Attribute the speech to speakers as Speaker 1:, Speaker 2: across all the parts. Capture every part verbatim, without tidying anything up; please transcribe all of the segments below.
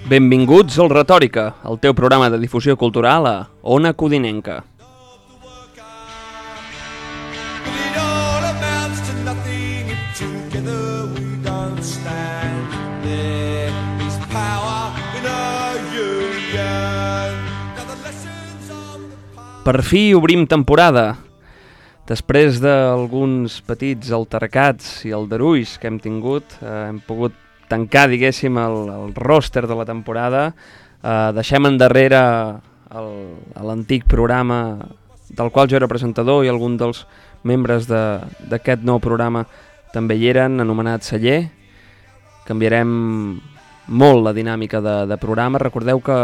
Speaker 1: Benvinguts al Retòrica, el teu programa de difusió cultural a Ona Codinenca. Per fi obrim temporada. Després d'alguns petits altercats i aldarulls que hem tingut, eh, hem pogut tancar, diguéssim, el, el ròster de la temporada. Eh, deixem endarrere l'antic programa del qual jo era presentador i algun dels membres d'aquest nou programa també hi eren, anomenat Celler. Canviarem molt la dinàmica de, de programa. Recordeu que,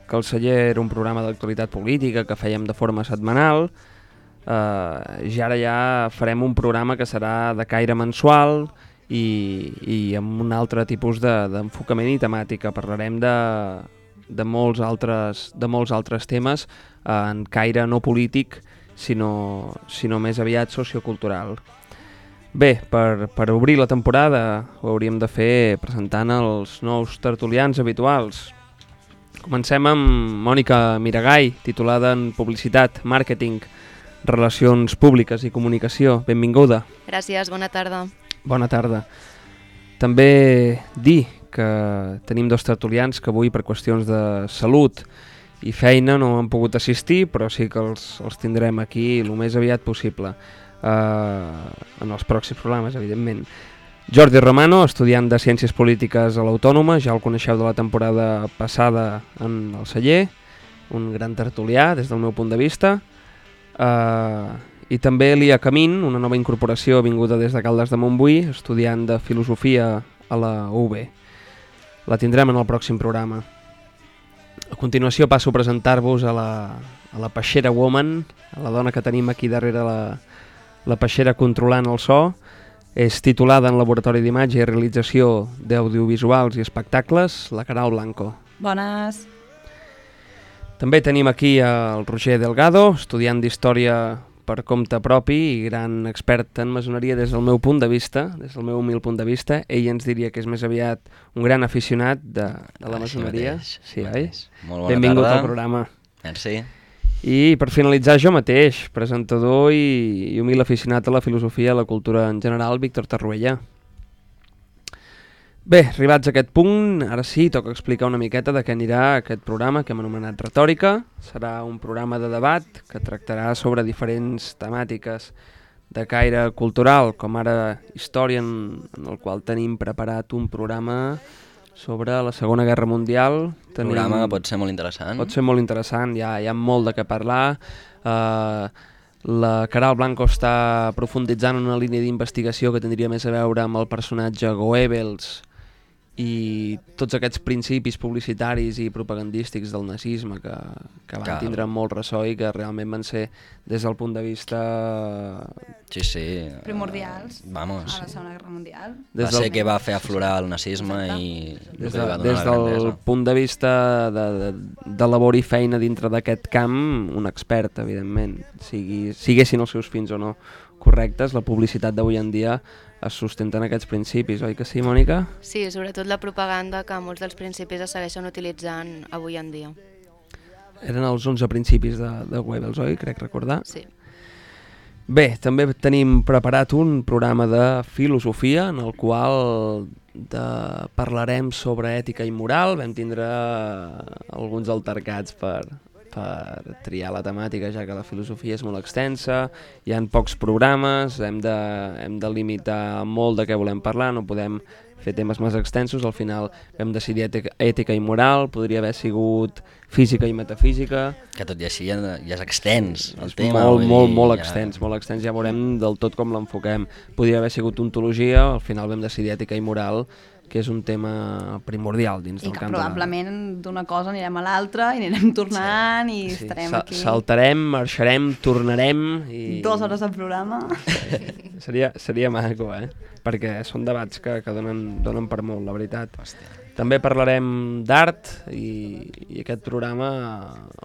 Speaker 1: que el Celler era un programa d'actualitat política que fèiem de forma setmanal. Eh, I ara ja farem un programa que serà de caire mensual i, i amb un altre tipus d'enfocament de, i temàtica. Parlarem de, de, molts altres, de molts altres temes eh, en caire no polític, sinó, sinó més aviat sociocultural. Bé, per, per obrir la temporada ho hauríem de fer presentant els nous tertulians habituals. Comencem amb Mònica Miragai, titulada en Publicitat, Màrqueting, Relacions Públiques i Comunicació. Benvinguda.
Speaker 2: Gràcies, bona tarda.
Speaker 1: Bona tarda. També dir que tenim dos tertulians que avui per qüestions de salut i feina no han pogut assistir, però sí que els, els tindrem aquí el més aviat possible. Uh, en els pròxims programes, evidentment. Jordi Romano, estudiant de Ciències Polítiques a l'Autònoma, ja el coneixeu de la temporada passada en el Celler, un gran tertulià des del meu punt de vista. Uh, I també Elia Camín, una nova incorporació vinguda des de Caldes de Montbui, estudiant de Filosofia a la U B. La tindrem en el pròxim programa. A continuació passo a presentar-vos a la, a la Peixera Woman, a la dona que tenim aquí darrere la La peixera controlant el so. És titulada en Laboratori d'Imatge i Realització d'Audiovisuals i Espectacles, la Caral Blanco.
Speaker 3: Bones.
Speaker 1: També tenim aquí el Roger Delgado, estudiant d'Història per compte propi i gran expert en maçoneria des del meu punt de vista, des del meu humil punt de vista. Ell ens diria que és més aviat un gran aficionat de, de la maçoneria.
Speaker 4: Mateix,
Speaker 1: sí,
Speaker 4: oi? Molt bona
Speaker 1: Benvingut
Speaker 4: tarda.
Speaker 1: al programa.
Speaker 4: Merci.
Speaker 1: I per finalitzar jo mateix, presentador i, i humil aficionat a la filosofia i a la cultura en general, Víctor Tarruella. Bé, arribats a aquest punt, ara sí, toca explicar una miqueta de què anirà aquest programa que hem anomenat Retòrica. Serà un programa de debat que tractarà sobre diferents temàtiques de caire cultural, com ara història, en, en el qual tenim preparat un programa sobre la Segona Guerra Mundial.
Speaker 4: Tenim... programa que pot ser molt interessant.
Speaker 1: Pot ser molt interessant, hi ha, hi ha molt de què parlar. Uh, la Caral Blanco està profunditzant en una línia d'investigació que tindria més a veure amb el personatge Goebbels i tots aquests principis publicitaris i propagandístics del nazisme que, que van Cal. tindre molt ressò i que realment van ser, des del punt de vista...
Speaker 4: Sí, sí.
Speaker 3: primordials
Speaker 4: Vamos.
Speaker 3: a la Segona Guerra Mundial.
Speaker 4: Des va del... ser que va fer aflorar el nazisme i...
Speaker 1: Des, de, des del punt de vista de, de, de labor i feina dintre d'aquest camp, un expert, evidentment. Sigui, siguessin els seus fins o no correctes, la publicitat d'avui en dia es sustenten aquests principis, oi que sí, Mònica?
Speaker 2: Sí, sobretot la propaganda, que molts dels principis es segueixen utilitzant avui en dia.
Speaker 1: Eren els onze principis de, de Goebbels, oi? Crec recordar.
Speaker 2: Sí.
Speaker 1: Bé, també tenim preparat un programa de filosofia en el qual de... parlarem sobre ètica i moral. Vam tindre alguns altercats per... per triar la temàtica, ja que la filosofia és molt extensa, hi ha pocs programes, hem de, hem de limitar molt de què volem parlar, no podem fer temes més extensos. Al final vam decidir ètica, ètica i moral, podria haver sigut física i metafísica.
Speaker 4: Que tot i així ja, ja és extens el
Speaker 1: és
Speaker 4: tema.
Speaker 1: Molt, molt,
Speaker 4: dir,
Speaker 1: molt
Speaker 4: ja...
Speaker 1: extens, molt extens, ja veurem del tot com l'enfoquem. Podria haver sigut ontologia, al final vam decidir ètica i moral, que és un tema primordial dins
Speaker 3: I
Speaker 1: del
Speaker 3: que
Speaker 1: camp.
Speaker 3: probablement d'una cosa anirem a l'altra i anirem tornant sí. i sí. estarem
Speaker 1: Sa
Speaker 3: aquí.
Speaker 1: Saltarem, marxarem, tornarem i...
Speaker 3: Dues hores de programa.
Speaker 1: seria, seria maco, eh? Perquè són debats que, que donen, donen per molt, la veritat.
Speaker 4: Hòstia.
Speaker 1: També parlarem d'art i, i aquest programa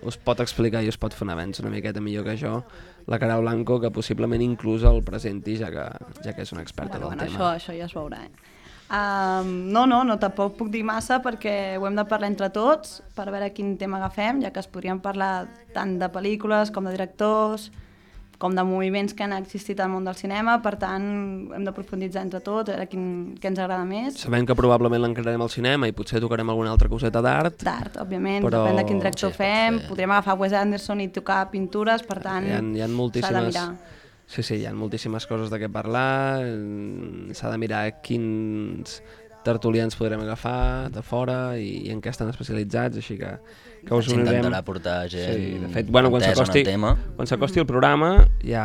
Speaker 1: us pot explicar i us pot fer un avenç una miqueta millor que jo la Caral Blanco, que possiblement inclús el presenti, ja que, ja que és una experta
Speaker 3: bueno,
Speaker 1: del
Speaker 3: bueno,
Speaker 1: tema.
Speaker 3: Això, això ja es veurà, eh? Um, no, no, no, tampoc puc dir massa perquè ho hem de parlar entre tots per veure quin tema agafem, ja que es podrien parlar tant de pel·lícules com de directors, com de moviments que han existit al món del cinema, per tant hem de profunditzar entre tots, a veure quin, què ens agrada més.
Speaker 1: Sabem que probablement l'encararem al cinema i potser tocarem alguna altra coseta d'art.
Speaker 3: D'art, òbviament,
Speaker 1: però...
Speaker 3: depèn de quin director
Speaker 4: Sí,
Speaker 3: fem,
Speaker 4: ser.
Speaker 3: podríem agafar Wes Anderson i tocar pintures, per tant
Speaker 1: Hi ha, hi ha
Speaker 3: s'ha de
Speaker 1: moltíssimes...
Speaker 3: mirar.
Speaker 1: Sí, sí, hi ha moltíssimes coses de què parlar, eh, s'ha de mirar quins tertulians podrem agafar de fora i, i en què estan especialitzats, així que, que us unirem.
Speaker 4: S'intentarà portar gent
Speaker 1: Sí, de fet, bueno, quan
Speaker 4: entesa en
Speaker 1: s'acosti
Speaker 4: el tema.
Speaker 1: quan s'acosti el programa ja,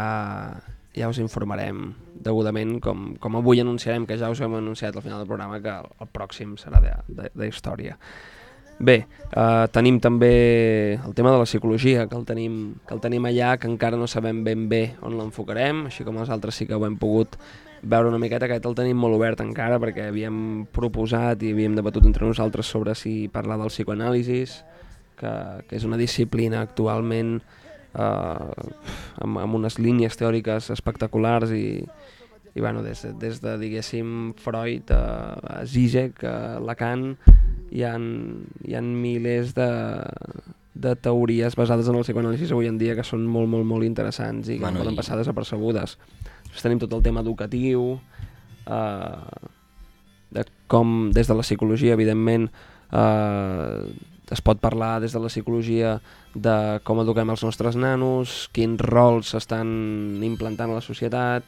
Speaker 1: ja us informarem degudament, com, com avui anunciarem, que ja us hem anunciat al final del programa, que el, el pròxim serà de, de, de història. Bé, eh, tenim també el tema de la psicologia, que el, tenim, que el tenim allà, que encara no sabem ben bé on l'enfocarem, així com els altres sí que ho hem pogut veure una miqueta. Aquest el tenim molt obert encara, perquè havíem proposat i havíem debatut entre nosaltres sobre si parlar del psicoanàlisis, que, que és una disciplina actualment eh, amb, amb unes línies teòriques espectaculars i, i bueno, des, des de, diguéssim, Freud a, a Zizek, a Lacan, hi ha, hi ha milers de, de teories basades en el psicoanàlisis avui en dia que són molt, molt, molt interessants i que
Speaker 4: Bueno,
Speaker 1: no poden
Speaker 4: i-
Speaker 1: passar desapercebudes. Després tenim tot el tema educatiu, eh, de com des de la psicologia, evidentment, eh, es pot parlar des de la psicologia de com eduquem els nostres nanos, quins rols s'estan implantant a la societat,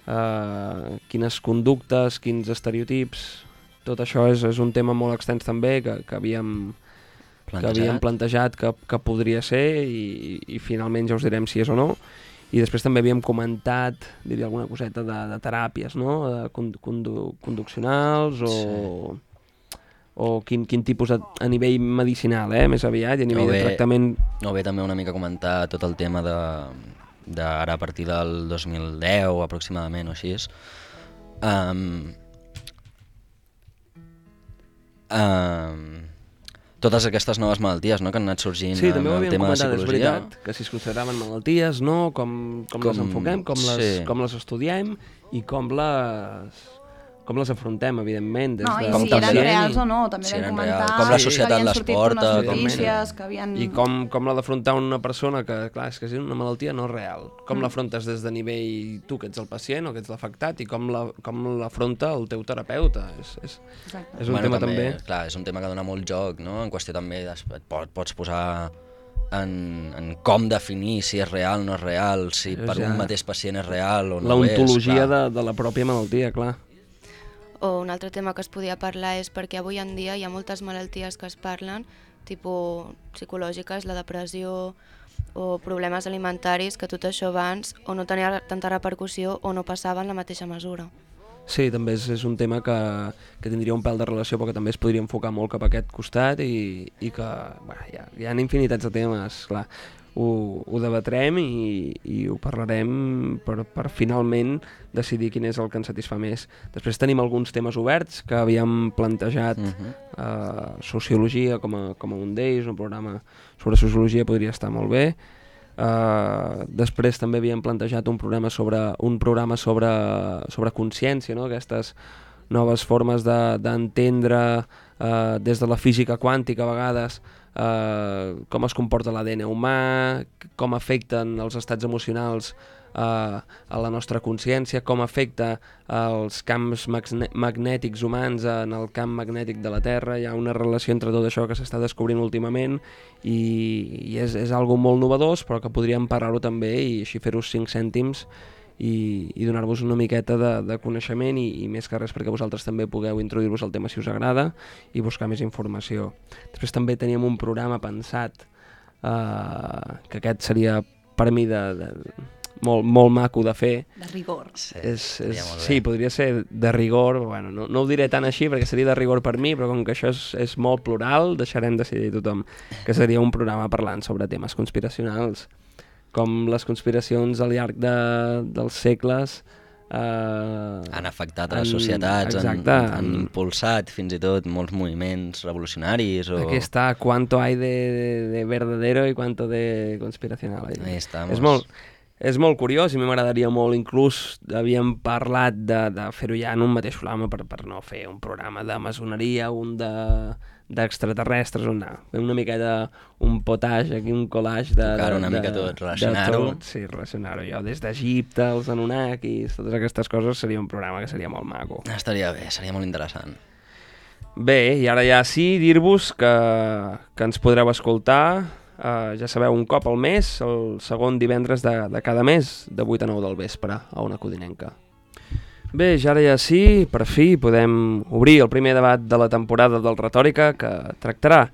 Speaker 1: eh, quines conductes, quins estereotips. Tot això és, és un tema molt extens també que, que havíem que havíem plantejat que, que podria ser i, i finalment ja us direm si és o no. I després també havíem comentat, diria alguna coseta de, de teràpies, no? De condu condu conduccionals o, sí. o quin, quin tipus a, a nivell medicinal, eh? Més aviat, i a nivell
Speaker 4: O bé-
Speaker 1: de tractament.
Speaker 4: O bé també una mica comentar tot el tema de, de ara a partir del dos mil deu aproximadament o així. Um, um, totes aquestes noves malalties, no?, que han anat sorgint
Speaker 1: Sí, també ho
Speaker 4: amb el
Speaker 1: havíem
Speaker 4: tema de
Speaker 1: comentat, és
Speaker 4: psicologia.
Speaker 1: veritat, que si es consideraven malalties, no? Com, com, com les
Speaker 4: Com-
Speaker 1: enfoquem, com les,
Speaker 4: sí.
Speaker 1: com les estudiem i com les, com les afrontem, evidentment. Des
Speaker 3: No,
Speaker 1: de
Speaker 3: i
Speaker 4: Com
Speaker 3: si
Speaker 4: també-
Speaker 3: eren reals o no, també
Speaker 4: Si
Speaker 3: vam
Speaker 4: eren
Speaker 3: comentar
Speaker 4: reals, com la
Speaker 3: que
Speaker 4: societat
Speaker 3: havien
Speaker 4: les
Speaker 3: sortit
Speaker 4: porta,
Speaker 3: unes
Speaker 4: com-
Speaker 3: notícies que havien...
Speaker 1: I com, com l'ha d'afrontar una persona que, clar, és que és una malaltia no real. Com mm. l'afrontes des de nivell tu, que ets el pacient o que ets l'afectat, i com la- com l'afronta el teu terapeuta. És, és,
Speaker 3: Exacte.
Speaker 1: és un tema també...
Speaker 4: Clar, és un tema que dona molt joc, no? En qüestió també es- et pot, pots posar en, en com definir si és real o no és real, si
Speaker 1: Això
Speaker 4: per
Speaker 1: ja-
Speaker 4: un mateix pacient és real o no
Speaker 1: La
Speaker 4: ho és.
Speaker 1: ontologia
Speaker 4: clar.
Speaker 1: de, de la pròpia malaltia, clar.
Speaker 2: O un altre tema que es podia parlar és perquè avui en dia hi ha moltes malalties que es parlen, tipus psicològiques, la depressió o problemes alimentaris, que tot això abans o no tenia tanta repercussió o no passava en la mateixa mesura.
Speaker 1: Sí, també és, és un tema que, que tindria un pèl de relació, però que també es podria enfocar molt cap a aquest costat i, i que bueno, hi, ha, hi ha infinitats de temes, clar. Ho, ho debatrem i, i ho parlarem per, per finalment decidir quin és el que ens satisfà més. Després tenim alguns temes oberts que havíem plantejat,
Speaker 4: Mhm.
Speaker 1: eh, sociologia com a, com a un d'ells, un programa sobre sociologia podria estar molt bé. Uh, després també havíem plantejat un programa sobre un programa sobre, sobre consciència, no? Aquestes noves formes d'entendre de, uh, des de la física quàntica a vegades uh, com es comporta l'A D N humà, com afecten els estats emocionals uh, a la nostra consciència, com afecta els camps magnètics humans en el camp magnètic de la Terra. Hi ha una relació entre tot això que s'està descobrint últimament i, i és, és algo molt novedós, però que podríem parlar-ho també i així fer-ho cinc cèntims i, i donar-vos una miqueta de, de coneixement i, i més que res perquè vosaltres també pugueu introduir-vos al tema si us agrada i buscar més informació. Després també teníem un programa pensat eh, que aquest seria per mi de, de, molt, molt maco de fer.
Speaker 3: De rigor.
Speaker 4: Sí,
Speaker 1: És, és,
Speaker 4: estaria molt bé.
Speaker 1: sí, podria ser de rigor, bueno, no, no ho diré tan així perquè seria de rigor per mi, però com que això és, és molt plural, deixarem decidir tothom que seria un programa parlant sobre temes conspiracionals, com les conspiracions al llarg de, dels segles eh,
Speaker 4: Han afectat a les
Speaker 1: han-
Speaker 4: societats, han,
Speaker 1: exacte,
Speaker 4: han
Speaker 1: han-
Speaker 4: impulsat fins i tot molts moviments revolucionaris. O...
Speaker 1: Aquí està cuánto hay de, de, de verdadero y cuánto de conspiracional.
Speaker 4: Ahí estamos.
Speaker 1: És molt, és molt curiós i a mi m'agradaria molt, inclús havíem parlat de, de fer-ho ja en un mateix programa per, per no fer un programa de maçoneria, un de d'extraterrestres, on anar. Una miqueta un potage, aquí un collage de...
Speaker 4: Tocar una
Speaker 1: de,
Speaker 4: mica tot,
Speaker 1: de
Speaker 4: relacionar-ho.
Speaker 1: tot, sí, relacionar-ho jo. Des d'Egipte, els Anunnakis, totes aquestes coses, seria un programa que seria molt maco.
Speaker 4: Estaria bé, seria molt interessant.
Speaker 1: Bé, i ara ja sí, dir-vos que, que ens podreu escoltar, eh, ja sabeu, un cop al mes, el segon divendres de, de cada mes, de vuit a nou del vespre, a Ona Codinenca. Bé, ja ara ja sí, per fi podem obrir el primer debat de la temporada del Retòrica, que tractarà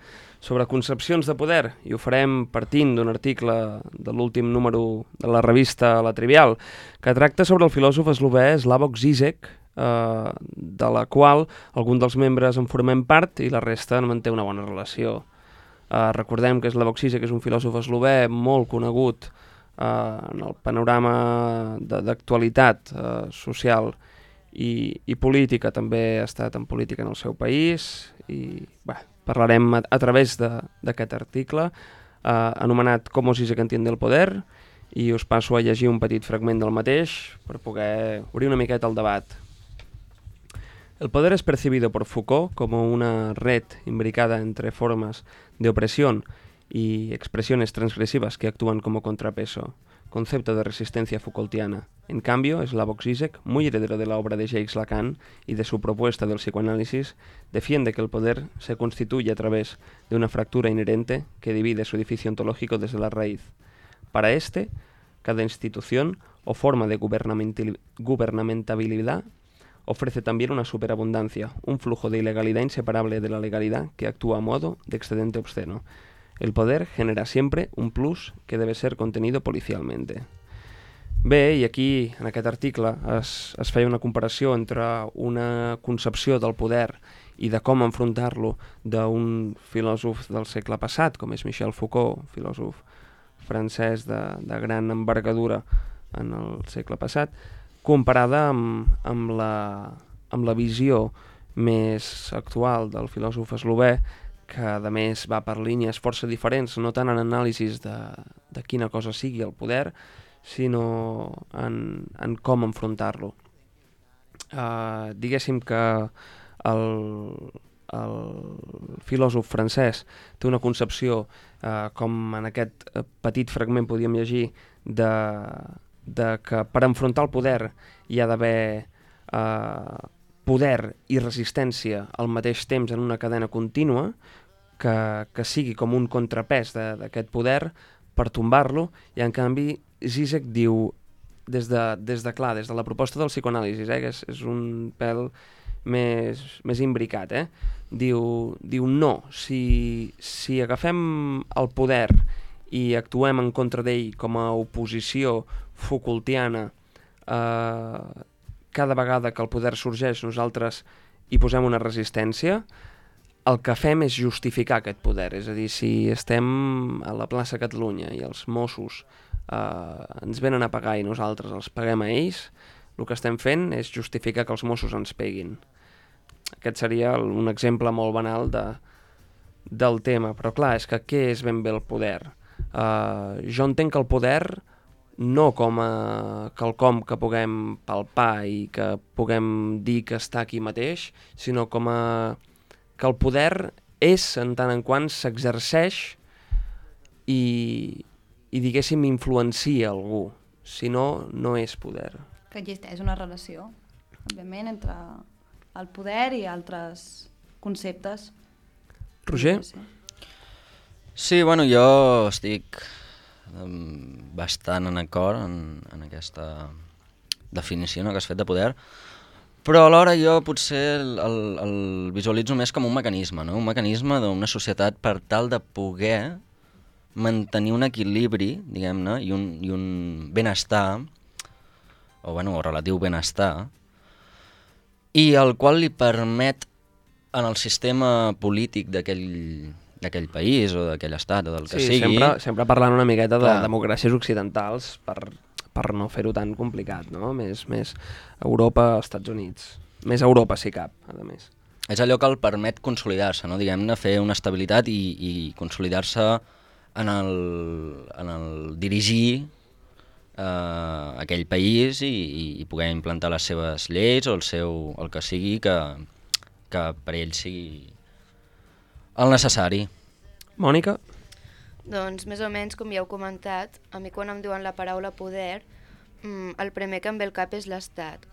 Speaker 1: sobre concepcions de poder, i ho farem partint d'un article de l'últim número de la revista La Trivial, que tracta sobre el filòsof eslovè Slavoj Žižek, eh, de la qual algun dels membres en formem part i la resta en manté una bona relació. Eh, recordem que Slavoj Žižek és un filòsof eslovè molt conegut eh, en el panorama d'actualitat eh, social i, i política, també ha estat en política en el seu país, i bé, parlarem a, a través d'aquest article eh, anomenat «Cómo Žižek entiende el poder», i us passo a llegir un petit fragment del mateix per poder obrir una miqueta el debat. El poder es percibido por Foucault como una red imbricada entre formas de opresión y expresiones transgresivas que actúan como contrapeso, concepto de resistencia Foucaultiana. En cambio, Slavoj Žižek, muy heredero de la obra de Jacques Lacan y de su propuesta del psicoanálisis, defiende que el poder se constituye a través de una fractura inherente que divide su edificio ontológico desde la raíz. Para este, cada institución o forma de gubernamentabilidad ofrece también una superabundancia, un flujo de ilegalidad inseparable de la legalidad que actúa a modo de excedente obsceno. El poder genera siempre un plus que debe ser contenido policialmente. Bé, i aquí, en aquest article, es, es feia una comparació entre una concepció del poder i de com enfrontar-lo d'un filòsof del segle passat, com és Michel Foucault, filòsof francès de, de gran envergadura en el segle passat, comparada amb, amb, la, amb la visió més actual del filòsof eslovè, que a més va per línies força diferents, no tant en anàlisis de, de quina cosa sigui el poder, sinó en, en com enfrontar-lo. Uh, diguéssim que el, el filòsof francès té una concepció, uh, com en aquest petit fragment podíem llegir, de, de que per enfrontar el poder hi ha d'haver uh, poder i resistència al mateix temps en una cadena contínua, que, que sigui com un contrapès d'aquest poder per tombar-lo, i en canvi Žižek diu, des de, des de clar, des de la proposta del psicoanàlisis, eh, que és, és un pèl més, més imbricat, eh? diu, diu no, si, si agafem el poder i actuem en contra d'ell com a oposició Foucaultiana, eh, cada vegada que el poder sorgeix nosaltres hi posem una resistència, el que fem és justificar aquest poder. És a dir, si estem a la plaça Catalunya i els Mossos eh, ens venen a pagar i nosaltres els paguem a ells, el que estem fent és justificar que els Mossos ens peguin. Aquest seria un exemple molt banal de, del tema. Però clar, és que què és ben bé el poder? Eh, jo entenc que el poder no com a quelcom que puguem palpar i que puguem dir que està aquí mateix, sinó com a que el poder és en tant en quant s'exerceix i, i diguéssim influencia algú, si no, no és poder.
Speaker 3: Que existeix una relació, òbviament, entre el poder i altres conceptes.
Speaker 1: Roger?
Speaker 4: Sí, bueno, jo estic bastant en acord en, en aquesta definició, no, que has fet de poder, però alhora jo potser el, el, el visualitzo més com un mecanisme, no? Un mecanisme d'una societat per tal de poder mantenir un equilibri, diguem-ne, i un, i un benestar, o, bueno, o relatiu benestar, i el qual li permet en el sistema polític d'aquell d'aquell país o d'aquell estat o del que
Speaker 1: sí,
Speaker 4: sigui...
Speaker 1: Sempre, sempre parlant una miqueta de
Speaker 4: clar.
Speaker 1: democràcies occidentals per, per no fer-ho tan complicat, no? Més, més Europa, Estats Units. Més Europa, si cap, a més.
Speaker 4: És allò que el permet consolidar-se, no? Diguem-ne, fer una estabilitat i, i consolidar-se en el, en el dirigir eh, aquell país i, i poder implantar les seves lleis o el, seu, el que sigui que, que per ells sigui el necessari.
Speaker 1: Mònica?
Speaker 2: Doncs més o menys com ja heu comentat, a mi quan em diuen la paraula poder, el primer que em ve al cap és l'Estat.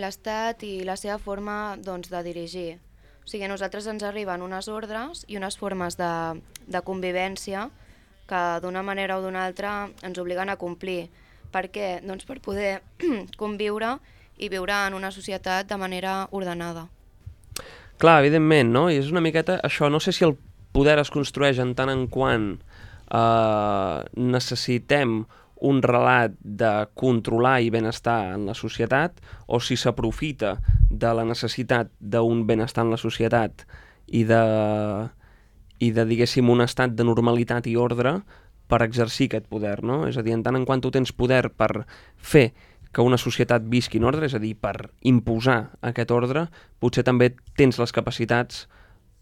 Speaker 2: L'Estat i la seva forma doncs, de dirigir. O sigui, a nosaltres ens arriben unes ordres i unes formes de, de convivència que d'una manera o d'una altra ens obliguen a complir. Per què? Doncs per poder conviure i viure en una societat de manera ordenada.
Speaker 1: Clar, evidentment, no? I és una miqueta això, no sé si el poder es construeix en tant en quant eh, necessitem un relat de controlar i benestar en la societat o si s'aprofita de la necessitat d'un benestar en la societat i de, i de, diguéssim, un estat de normalitat i ordre per exercir aquest poder, no? És a dir, en tant en quant tu tens poder per fer que una societat visqui en ordre, és a dir, per imposar aquest ordre, potser també tens les capacitats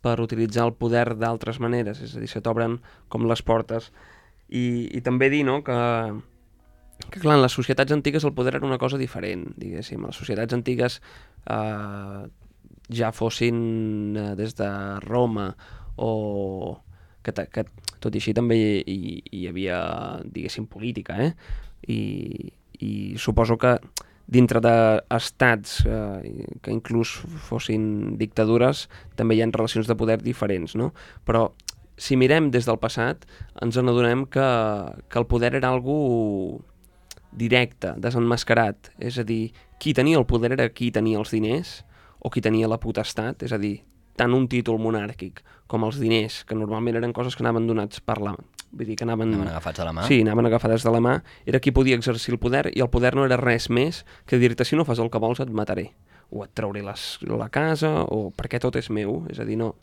Speaker 1: per utilitzar el poder d'altres maneres, és a dir, se t'obren com les portes. I, i també dir, no?, que, que clar, en les societats antigues el poder era una cosa diferent, diguéssim. Les societats antigues eh, ja fossin eh, des de Roma o... Que, que tot i així també hi, hi, hi havia, diguéssim, política, eh? I, i suposo que dintre d'estats eh, que inclús fossin dictadures també hi ha relacions de poder diferents, no? Però si mirem des del passat ens n'adonem que, que el poder era algo directe, desenmascarat, és a dir, qui tenia el poder era qui tenia els diners o qui tenia la potestat, és a dir, tant un títol monàrquic com els diners, que normalment eren coses que anaven donats per la... Vull dir, que anaven...
Speaker 4: Anaven agafats de la mà?
Speaker 1: Sí, anaven agafades de la mà, era qui podia exercir el poder, i el poder no era res més que dir-te si no fas el que vols et mataré, o et trauré les, la casa, o perquè tot és meu, és a dir, no,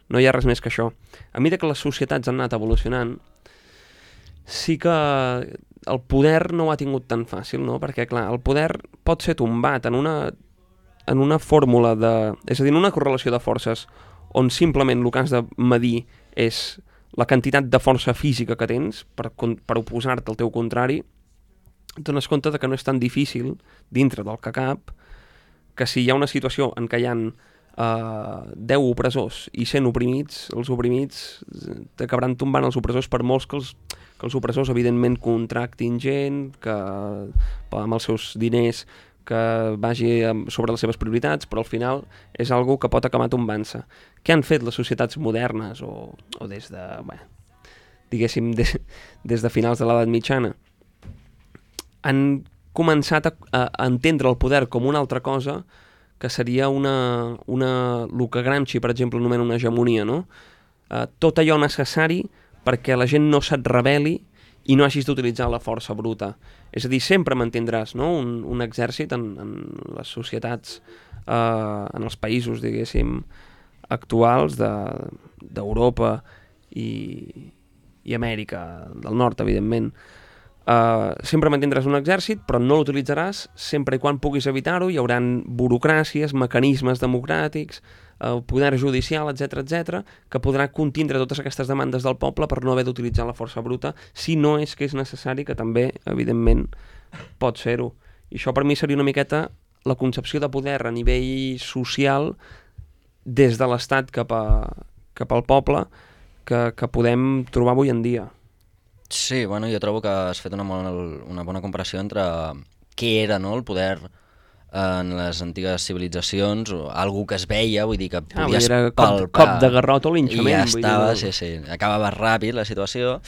Speaker 1: no hi ha res més que això. A mesura que les societats han anat evolucionant, sí que el poder no ho ha tingut tan fàcil, no? Perquè, clar, el poder pot ser tombat en una, en una fórmula de... És a dir, en una correlació de forces on simplement el que has de medir és la quantitat de força física que tens per, per oposar-te al teu contrari, et dones compte de que no és tan difícil, dintre del que cap, que si hi ha una situació en què hi ha eh, deu opressors i cent oprimits, els oprimits t'acabaran tombant els opressors per molts que els, que els opressors evidentment contractin gent, que amb els seus diners que vagi sobre les seves prioritats, però al final és algo que pot acabar tombant-se. Què han fet les societats modernes o, o des de, bé, diguéssim, des, des de finals de l'edat mitjana? Han començat a, a entendre el poder com una altra cosa que seria una, una, el que Gramsci, per exemple, anomena una hegemonia, no? Eh, tot allò necessari perquè la gent no se't rebel·li i no hagis d'utilitzar la força bruta. És a dir, sempre mantindràs, no?, un, un exèrcit en, en les societats, eh, en els països, diguéssim, actuals d'Europa de, i, i Amèrica del Nord, evidentment. Uh, sempre mantindràs un exèrcit, però no l'utilitzaràs sempre i quan puguis evitar-ho. Hi haurà burocràcies, mecanismes democràtics, uh, poder judicial, etcètera, etcètera, que podrà contindre totes aquestes demandes del poble per no haver d'utilitzar la força bruta, si no és que és necessari, que també, evidentment, pot ser-ho. I això per mi seria una miqueta la concepció de poder a nivell social des de l'Estat cap, a, cap al poble que, que podem trobar avui en dia.
Speaker 4: Sí, bueno, jo trobo que has fet una, bona, una bona comparació entre què era, no, el poder en les antigues civilitzacions, o algú que es veia, vull dir que podies
Speaker 1: ah,
Speaker 4: palpar.
Speaker 1: Cop, cop de garrot o linxament.
Speaker 4: I ja estava,
Speaker 1: dir,
Speaker 4: sí, sí, acabava ràpid la situació.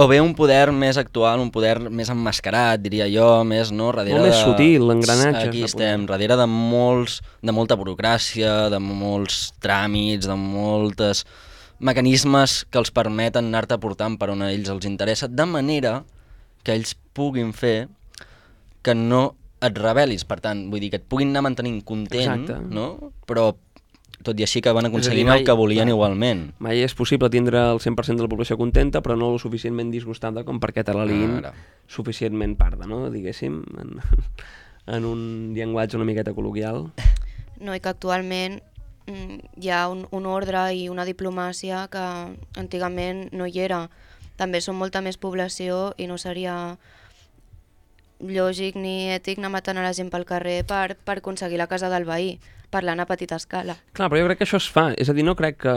Speaker 4: O bé un poder més actual, un poder més emmascarat, diria jo, més, no, darrere
Speaker 1: molt
Speaker 4: de...
Speaker 1: més sutil, l'engranatge.
Speaker 4: Aquí estem, darrere de molts, de molta burocràcia, de molts tràmits, de moltes mecanismes que els permeten anar-te portant per on a ells els interessa, de manera que ells puguin fer que no et rebel·lis, per tant, vull dir que et puguin anar mantenint content,
Speaker 1: exacte,
Speaker 4: no? Però tot i així que van aconseguint
Speaker 1: mai,
Speaker 4: el que volien
Speaker 1: mai,
Speaker 4: igualment.
Speaker 1: Mai és possible tindre el cent per cent de la població contenta, però no lo suficientment disgustada com perquè te la liguin ah, suficientment parda, no? Diguéssim, en, en un llenguatge una miqueta col·loquial.
Speaker 2: No, i que actualment hi ha un, un ordre i una diplomàcia que antigament no hi era. també som molta més població i no seria lògic ni ètic anar matant a la gent pel carrer per, per aconseguir la casa del veí, parlant a petita escala.
Speaker 1: Clar, però jo crec que això es fa, és a dir, no crec que...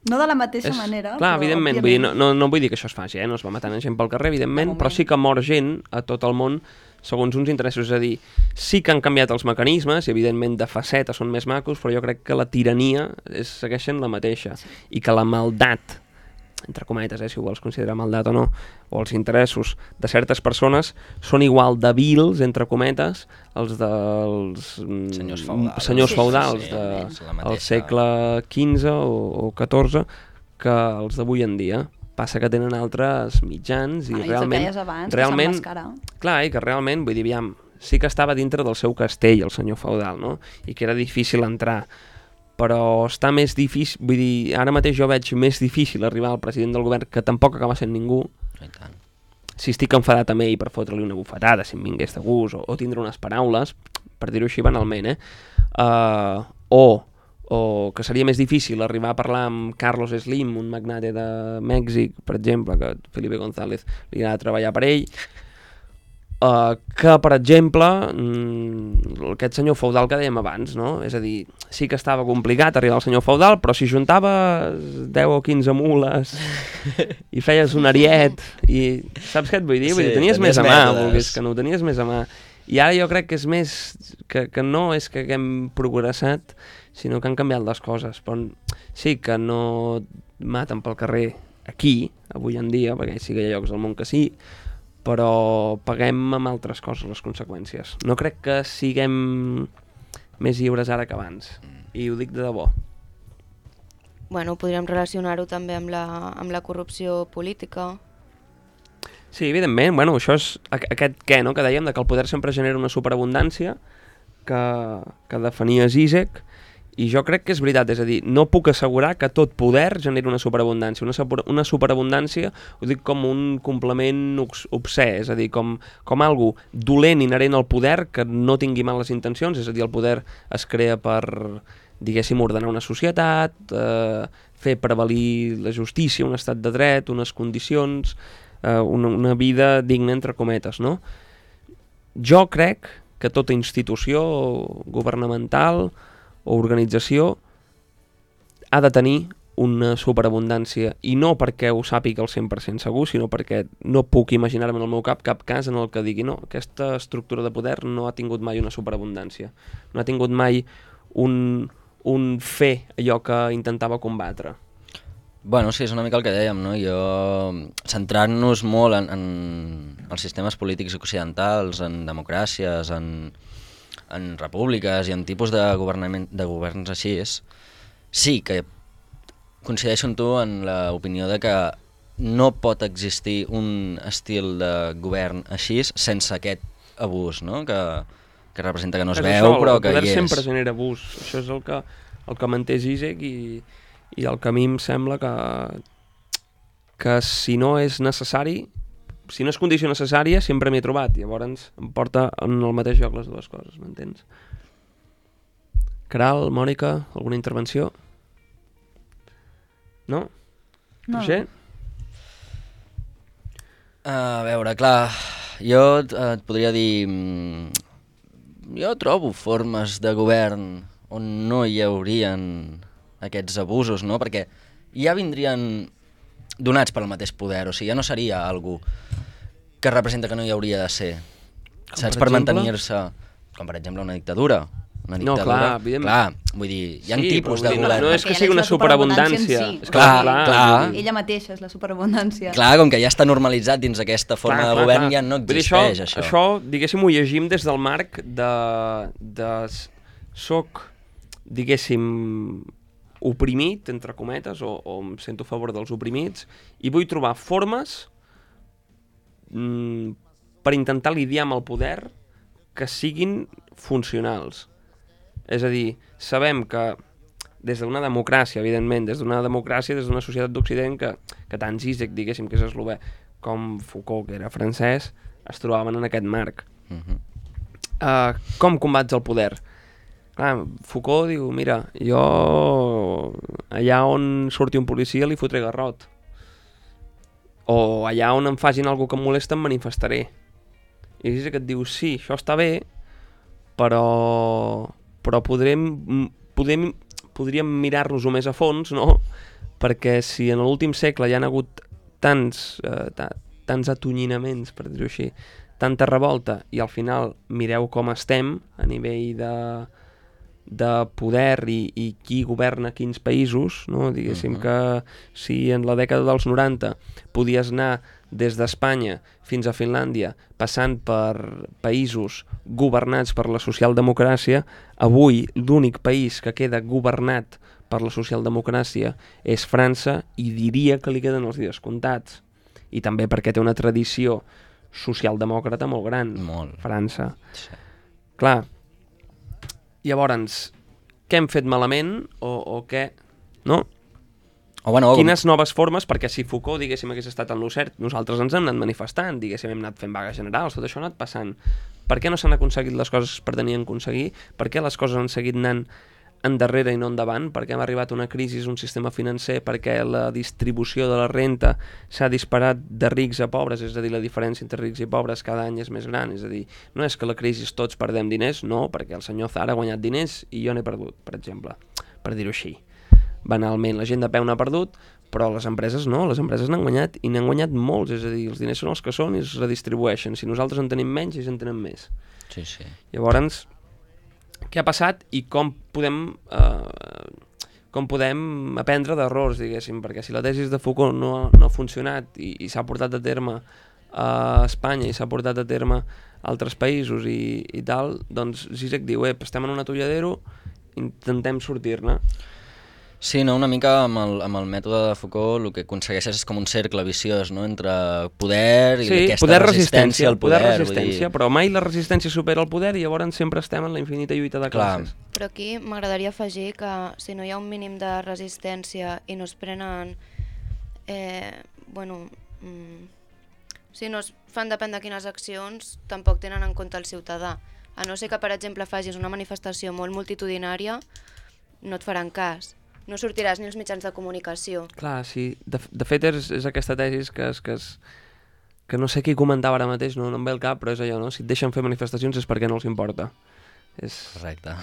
Speaker 3: No de la mateixa
Speaker 1: és...
Speaker 3: manera,
Speaker 1: clar,
Speaker 3: però
Speaker 1: evidentment, vull dir, no, no, no vull dir que això es faci, eh? No es va matant gent pel carrer, evidentment, però sí que mor gent a tot el món segons uns interessos, és a dir, sí que han canviat els mecanismes, i evidentment de faceta són més macos, però jo crec que la tirania és, segueixen la mateixa, sí. I que la maldat, entre cometes, eh, si ho vols considerar maldat o no, o els interessos de certes persones són igual de vils, entre cometes, els dels
Speaker 4: senyors feudals,
Speaker 1: senyors
Speaker 4: sí,
Speaker 1: feudals
Speaker 4: sí,
Speaker 1: de,
Speaker 4: sí, mateixa...
Speaker 1: del segle quinze o, o catorze que els d'avui en dia. Passa que tenen altres mitjans i
Speaker 3: ah,
Speaker 1: realment...
Speaker 3: I abans,
Speaker 1: realment
Speaker 3: que
Speaker 1: clar, i que realment, vull dir, aviam, sí que estava dintre del seu castell, el senyor feudal, no? I que era difícil entrar, però està més difícil, vull dir, ara mateix jo veig més difícil arribar al president del govern, que tampoc acaba sent ningú,
Speaker 4: I tant.
Speaker 1: Si estic enfadat amb ell per fotre-li una bufetada, si em vingués de gust, o, o tindre unes paraules, per dir-ho així banalment, eh? Uh, o, o que seria més difícil arribar a parlar amb Carlos Slim, un magnate de Mèxic, per exemple, que Felipe González li ha de treballar per ell, Uh, que, per exemple, mm, aquest senyor feudal que dèiem abans, no? És a dir, sí que estava complicat arribar al senyor feudal, però si juntaves deu o quinze mules i feies un ariet, i saps què et vull dir? Vull dir, tenies
Speaker 4: sí,
Speaker 1: més a mà,
Speaker 4: mètodes.
Speaker 1: volgués que no, tenies més a mà. I ara jo crec que és més, que, que no és que haguem progressat, sinó que han canviat les coses. Però sí que no maten pel carrer aquí, avui en dia, perquè sí que hi ha llocs del món que sí, però paguem amb altres coses les conseqüències. No crec que siguem més lliures ara que abans, i ho dic de debò.
Speaker 2: Bueno, podríem relacionar-ho també amb la, amb la corrupció política.
Speaker 1: Sí, evidentment, bueno, això és aquest què, no?, que dèiem, de que el poder sempre genera una superabundància que, que definia Zizek, i jo crec que és veritat, és a dir, no puc assegurar que tot poder generi una superabundància. Una, super, una superabundància ho dic com un complement obsè, és a dir, com, com algo dolent inherent al poder que no tingui males intencions, és a dir, el poder es crea per, diguéssim, ordenar una societat, eh, fer prevalir la justícia, un estat de dret, unes condicions, eh, una, una vida digna, entre cometes, no? Jo crec que tota institució governamental o organització ha de tenir una superabundància, i no perquè ho sàpiga al cent per cent segur, sinó perquè no puc imaginar-me en el meu cap cap cas en el que digui no, aquesta estructura de poder no ha tingut mai una superabundància, no ha tingut mai un, un fer allò que intentava combatre.
Speaker 4: Bueno, sí, és una mica el que dèiem, no? Jo, centrant-nos molt en, en els sistemes polítics occidentals, en democràcies, en en repúbliques i en tipus de, de governs així, és, sí que coincideixo amb tu en l'opinió de que no pot existir un estil de govern així sense aquest abús, no? que, que representa que no es
Speaker 1: és
Speaker 4: veu,
Speaker 1: això,
Speaker 4: però que hi és.
Speaker 1: El poder sempre genera abús, això és el que, el que manté Zizek, i, i el que a mi em sembla que, que si no és necessari, si no és condició necessària, sempre m'hi he trobat. Llavors em porta en el mateix lloc les dues coses, m'entens? Caral, Mònica, alguna intervenció? No?
Speaker 3: No.
Speaker 1: Roger?
Speaker 4: A veure, clar, jo et, et podria dir... Jo trobo formes de govern on no hi haurien aquests abusos, no? Perquè ja vindrien donats pel mateix poder, o sigui, ja no seria algú que representa que no hi hauria de ser. Com saps? Per, per mantenir-se, com per exemple una dictadura. Una dictadura.
Speaker 1: No, clar, evidentment.
Speaker 4: Clar, vull dir, hi ha
Speaker 1: sí,
Speaker 4: tipus de
Speaker 1: dir,
Speaker 4: govern.
Speaker 1: No, no és que sigui una superabundància.
Speaker 3: Sí.
Speaker 1: És
Speaker 4: clar,
Speaker 1: clar,
Speaker 4: clar.
Speaker 3: Ella mateixa és la superabundància.
Speaker 4: Clar, com que ja està normalitzat dins aquesta forma clar, de govern, clar, ja no existeix
Speaker 1: dir,
Speaker 4: això.
Speaker 1: Això, això diguéssim, ho llegim des del marc de... de soc, diguéssim, oprimit, entre cometes, o, o em sento a favor dels oprimits, i vull trobar formes mm, per intentar lidiar amb el poder que siguin funcionals. És a dir, sabem que des d'una democràcia, evidentment, des d'una democràcia, des d'una societat d'Occident, que, que tant Zizek, diguéssim, que és eslové, com Foucault, que era francès, es trobaven en aquest marc.
Speaker 4: Uh-huh.
Speaker 1: Uh, com combats el poder? Clar, Foucault diu, mira, jo allà on surti un policia li fotré garrot. o allà on em facin alguna que em molesta em manifestaré. I és que et diu, sí, això està bé, però, però podrem, podrem, podríem mirar-nos-ho més a fons, no? Perquè si en l'últim segle hi ha hagut tants, eh, tants atonyinaments, per dir-ho així, tanta revolta, i al final mireu com estem a nivell de, de poder i, i qui governa quins països, no? Diguéssim uh-huh. que si en la dècada dels noranta podies anar des d'Espanya fins a Finlàndia, passant per països governats per la socialdemocràcia, avui l'únic país que queda governat per la socialdemocràcia és França, i diria que li queden els dies comptats. I també perquè té una tradició socialdemòcrata molt gran,
Speaker 4: molt.
Speaker 1: França.
Speaker 4: Sí.
Speaker 1: Clar, llavors, què hem fet malament o, o què? No?
Speaker 4: O bueno,
Speaker 1: Quines com... noves formes, perquè si Foucault, diguéssim, hagués estat en lo cert, nosaltres ens hem anat manifestant, diguéssim, hem anat fent vagues generals, tot això ha anat passant. Per què no s'han aconseguit les coses que pretenien aconseguir? Per què les coses han seguit anant endarrere i no endavant? Per què hem arribat a una crisi, un sistema financer? Perquè la distribució de la renta s'ha disparat de rics a pobres, és a dir, la diferència entre rics i pobres cada any és més gran, és a dir, no és que la crisi tots perdem diners, no, perquè el senyor Zara ha guanyat diners i jo n'he perdut, per exemple, per dir-ho així. Banalment, la gent de peu n'ha perdut, però les empreses no, les empreses n'han guanyat, i n'han guanyat molts, és a dir, els diners són els que són i es redistribueixen. Si nosaltres en tenim menys, ells en tenen més.
Speaker 4: Sí, sí.
Speaker 1: Llavors, què ha passat i com podem, eh, com podem aprendre d'errors, diguéssim, perquè si la tesi de Foucault no, no ha funcionat i, i s'ha portat a terme a Espanya i s'ha portat a terme a altres països i, i tal, doncs Zizek diu, ep, estem en un atolladero, intentem sortir-ne.
Speaker 4: Sí, no, una mica amb el, amb el mètode de Foucault el que aconsegueixes és com un cercle viciós, no?, entre poder i
Speaker 1: sí,
Speaker 4: aquesta
Speaker 1: poder,
Speaker 4: resistència al poder.
Speaker 1: poder resistència, dir... però mai la resistència supera el poder i llavors sempre estem en la infinita lluita de classes.
Speaker 2: Clar. Però aquí m'agradaria afegir que si no hi ha un mínim de resistència i no es prenen... Eh, bueno... Mm, si no es fan depèn de quines accions, tampoc tenen en compte el ciutadà. A no ser que, per exemple, facis una manifestació molt multitudinària, no et faran cas. No sortiràs ni als mitjans de comunicació.
Speaker 1: Clar, sí. De, de fet, és, és aquesta tesis que, és, que, és, que no sé qui comentava ara mateix, no, no em ve el cap, però és allò, no? Si et deixen fer manifestacions és perquè no els importa. És...
Speaker 4: Correcte.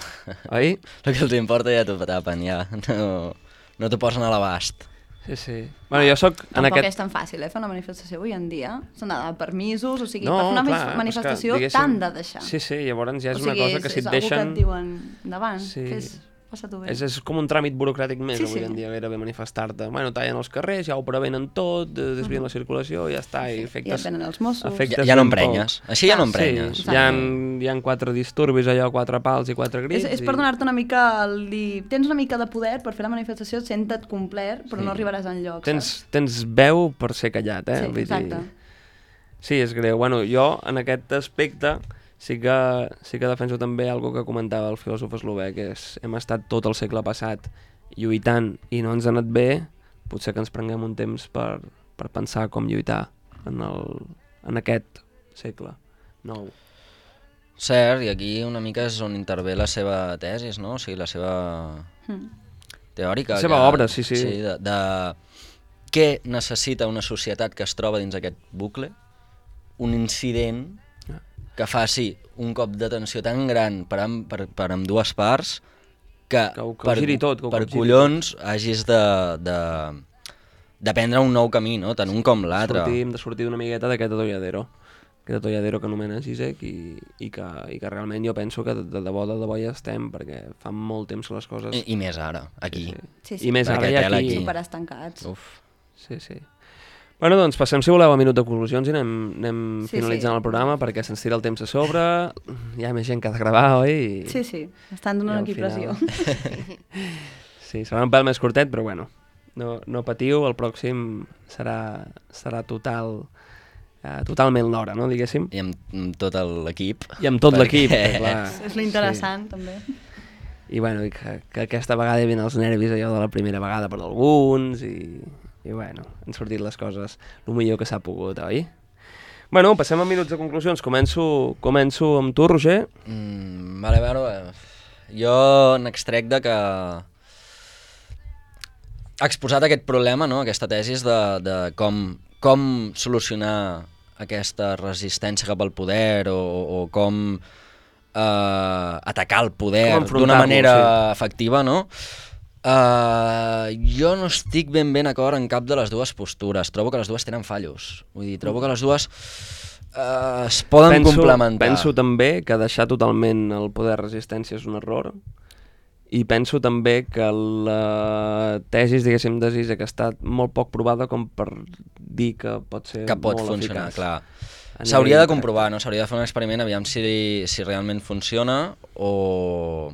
Speaker 1: Oi?
Speaker 4: El que els importa ja t'ho tapen, ja. No, no t'ho posen a l'abast.
Speaker 1: Sí, sí. Bueno, jo soc...
Speaker 3: Tampoc
Speaker 1: en aquest...
Speaker 3: és tan fàcil, eh, fer una manifestació avui en dia. S'han de permisos, o sigui,
Speaker 1: no,
Speaker 3: per fer una
Speaker 1: clar,
Speaker 3: manifestació
Speaker 1: que,
Speaker 3: t'han de deixar.
Speaker 1: Sí, sí, llavors ja és
Speaker 3: o sigui,
Speaker 1: una cosa que
Speaker 3: és,
Speaker 1: si et
Speaker 3: deixen...
Speaker 1: deixen...
Speaker 3: És algú que et diuen endavant,
Speaker 1: sí.
Speaker 3: fes... Passa-t'ho bé.
Speaker 1: És, és com un tràmit burocràtic més,
Speaker 3: sí,
Speaker 1: avui
Speaker 3: sí.
Speaker 1: en dia, gairebé manifestar-te. Bueno, tallen els carrers, ja ho prevenen tot, desvien uh -huh. la circulació, ja està, i efectes...
Speaker 3: I et venen els Mossos.
Speaker 4: Ja, ja no emprenyes. Així ja no emprenyes.
Speaker 1: Sí, hi ha, hi ha quatre disturbis, allò, quatre pals i quatre grits.
Speaker 3: És, és
Speaker 1: i...
Speaker 3: per donar-te una mica el dir... Tens una mica de poder per fer la manifestació, sent-te't complet, però sí. no arribaràs enlloc,
Speaker 1: tens,
Speaker 3: saps?
Speaker 1: Tens veu per ser callat, eh?
Speaker 3: Sí, exacte.
Speaker 1: Dir... Sí, és greu. Bueno, jo, en aquest aspecte... Sí que, sí que defenso també algo que comentava el filòsof eslovè, que és hem estat tot el segle passat lluitant i no ens ha anat bé, potser que ens prenguem un temps per, per pensar com lluitar en, el, en aquest segle nou.
Speaker 4: Cert, i aquí una mica és on intervé la seva tesis, no? O sigui, la seva mm. teòrica.
Speaker 1: La seva
Speaker 4: que,
Speaker 1: obra, sí, sí.
Speaker 4: sí de, de què necessita una societat que es troba dins aquest bucle? Un incident que faci un cop d'atenció tan gran per, amb, per, per amb dues parts que,
Speaker 1: que, ho, que
Speaker 4: per,
Speaker 1: tot, que
Speaker 4: per collons tot. hagis de, de, de prendre un nou camí, no? Tant un com l'altre.
Speaker 1: Hem de sortir una miqueta d'aquest atolladero, aquest atolladero que anomena Zizek i, i, que, i que realment jo penso que de, de debò de debò ja estem, perquè fa molt temps que les coses...
Speaker 4: I, i més ara, aquí.
Speaker 1: Sí, sí.
Speaker 3: Sí, sí.
Speaker 1: I més ara, ja aquí.
Speaker 3: Superestancats.
Speaker 4: Uf.
Speaker 1: Sí, sí. Bueno, doncs passem, si voleu, a minut de conclusions i anem, anem sí, finalitzant sí. el programa perquè se'ns tira el temps a sobre, hi ha més gent que ha de gravar, oi? I,
Speaker 3: sí, sí, estan donant aquí final... pressió.
Speaker 1: Sí, serà un pèl més curtet, però bueno, no, no patiu, el pròxim serà, serà total, uh, totalment l'hora, no, diguéssim?
Speaker 4: I amb, amb tot l'equip.
Speaker 1: I amb tot
Speaker 4: perquè...
Speaker 1: l'equip, clar.
Speaker 3: És l'interessant, sí. també.
Speaker 1: I bueno, i que, que aquesta vegada hi havia els nervis allò de la primera vegada per alguns i... I bueno, han sortit les coses el millor que s'ha pogut, oi? Bueno, passem a minuts de conclusions. Començo, començo amb tu, Roger.
Speaker 4: Mm, vale, a veure, jo n'extrec de que ha exposat aquest problema, no? Aquesta tesi de, de com com solucionar aquesta resistència cap al poder o, o com eh, atacar el poder d'una manera sí. efectiva, no? Uh, jo no estic ben ben d'acord en cap de les dues postures. Trobo que les dues tenen fallos. Vull dir, trobo que les dues uh, es poden
Speaker 1: penso,
Speaker 4: complementar.
Speaker 1: Penso també que deixar totalment el poder de resistència és un error, i penso també que la tesis, diguéssim, de Zizek ha estat molt poc provada com per dir que pot ser
Speaker 4: que pot
Speaker 1: molt
Speaker 4: funcionar,
Speaker 1: eficaç.
Speaker 4: clar. S'hauria de comprovar, no? S'hauria de fer un experiment, aviam si, si realment funciona o,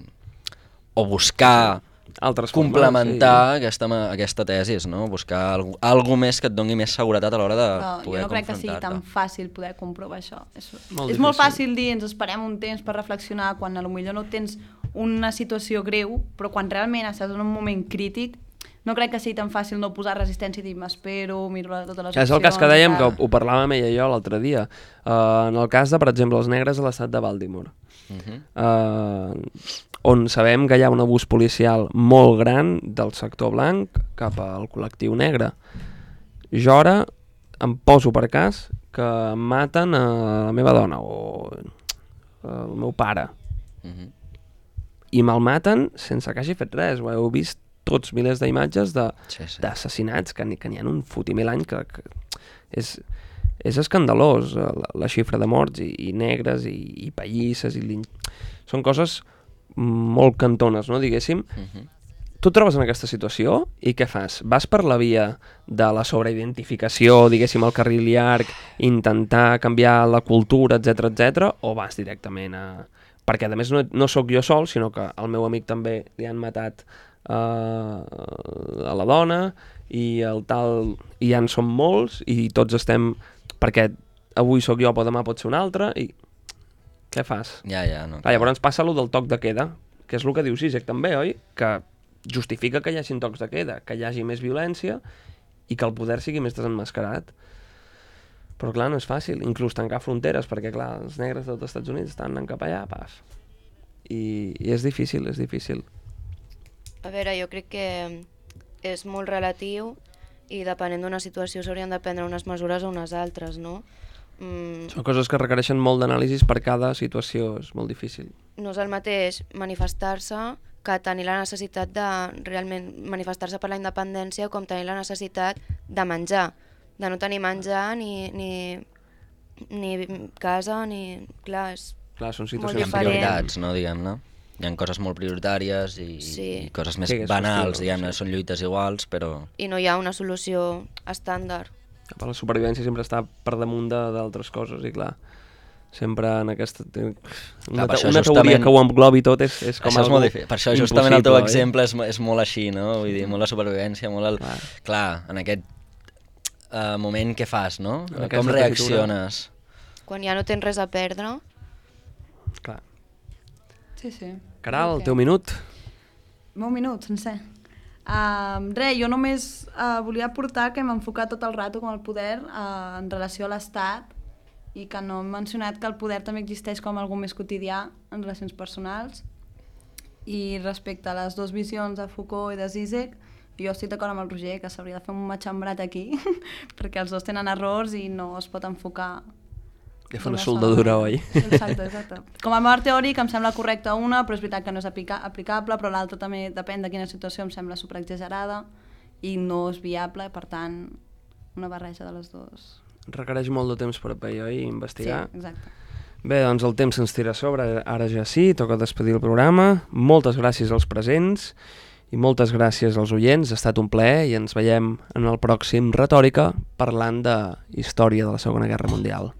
Speaker 4: o buscar
Speaker 1: altres
Speaker 4: complementar
Speaker 1: formes, sí.
Speaker 4: aquesta, aquesta tesis, no? Buscar algú, algú més que et doni més seguretat a l'hora de
Speaker 3: no,
Speaker 4: poder confrontar-te.
Speaker 3: Jo no crec que sigui tan fàcil poder comprovar això. És
Speaker 1: molt,
Speaker 3: és molt fàcil dir, ens esperem un temps per reflexionar, quan potser no tens una situació greu, però quan realment estàs en un moment crític, no crec que sigui tan fàcil no posar resistència i dir m'espero, miro totes les opcions...
Speaker 1: És el cas que dèiem, que ho parlàvem ella i jo l'altre dia. Uh, en el cas de, per exemple, els negres a l'estat de Baltimore, uh-huh. uh, on sabem que hi ha un abús policial molt gran del sector blanc cap al col·lectiu negre. Jo ara em poso per cas que maten a la meva dona o el meu pare. Uh-huh. I me'l maten sense que hagi fet res. Ho heu vist tots milers d'imatges d'assassinats, sí, sí. que n'hi que ha un fotimer l'any, que, que és, és escandalós, la, la xifra de morts, i, i negres, i, i pallisses, i són coses molt cantones, no, diguéssim. Uh-huh. Tu et trobes en aquesta situació i què fas? Vas per la via de la sobreidentificació, diguéssim, al carril llarg, intentar canviar la cultura, etcètera, etcètera, o vas directament a... Perquè, a més, no, no sóc jo sol, sinó que al meu amic també li han matat uh, a la dona, i el tal, i ja en som molts, i tots estem... Perquè avui sóc jo, però demà pot ser un altre, i... Què fas?
Speaker 4: Ja, ja, no.
Speaker 1: Ah, llavors passa allò del toc de queda, que és el que diu Zizek també, oi? Que justifica que hi hagi tocs de queda, que hi hagi més violència i que el poder sigui més desenmascarat. Però clar, no és fàcil, inclús tancar fronteres, perquè clar, els negres dels Estats Units estan anant cap allà, paf. I, i és difícil, és difícil.
Speaker 2: A veure, jo crec que és molt relatiu i depenent d'una situació s'haurien de prendre unes mesures o unes altres, no? Mm.
Speaker 1: Són coses que requereixen molt d'anàlisis per cada situació, és molt difícil.
Speaker 2: No és el mateix manifestar-se que tenir la necessitat de realment manifestar-se per la independència com tenir la necessitat de menjar, de no tenir menjar ni, ni, ni casa, ni... Clar, és
Speaker 1: Clar, són
Speaker 2: molt
Speaker 1: situacions
Speaker 2: diferent.
Speaker 4: prioritats, no, diguem-ne. Hi ha coses molt prioritàries i,
Speaker 2: sí.
Speaker 4: i coses més
Speaker 1: sí,
Speaker 4: banals,
Speaker 1: qüestió,
Speaker 4: diguem-ne,
Speaker 1: sí.
Speaker 4: són lluites iguals, però...
Speaker 2: I no hi ha una solució estàndard.
Speaker 1: La supervivència sempre està per damunt d'altres coses, i clar, sempre en aquesta... Una,
Speaker 4: clar,
Speaker 1: te,
Speaker 4: això
Speaker 1: una
Speaker 4: justament...
Speaker 1: teoria que ho englobi tot és, és com
Speaker 4: això és molt difícil. Per això justament el teu exemple
Speaker 1: eh?
Speaker 4: és, és molt així, no? Vull dir, molt la supervivència, molt el... Clar, clar en aquest uh, moment què fas, no? Com reacciones?
Speaker 2: Quan ja no tens res a perdre...
Speaker 1: Clar.
Speaker 3: Sí, sí.
Speaker 1: Caral,
Speaker 3: okay.
Speaker 1: Teu minut.
Speaker 3: Meu minut, sencer. Uh, res, jo només uh, volia aportar que hem enfocat tot el rato com el poder uh, en relació a l'Estat, i que no hem mencionat que el poder també existeix com algo més quotidià en relacions personals. I respecte a les dues visions de Foucault i de Zizek, jo estic d'acord amb el Roger que s'hauria de fer un matxembrat aquí perquè els dos tenen errors i no es pot enfocar.
Speaker 1: Ja fa una soldadura, oi?
Speaker 3: Exacte, exacte. Com a marc teòric em sembla correcta una, però és veritat que no és aplica aplicable, però l'altra també depèn de quina situació em sembla superexagerada i no és viable, per tant, una barreja de les dues.
Speaker 1: Requereix molt de temps per a pair, oi? Investigar.
Speaker 3: Sí, exacte.
Speaker 1: Bé, doncs el temps se'ns tira a sobre, ara ja sí, toca despedir el programa. Moltes gràcies als presents i moltes gràcies als oients, ha estat un plaer i ens veiem en el pròxim Retòrica parlant de història de la Segona Guerra Mundial.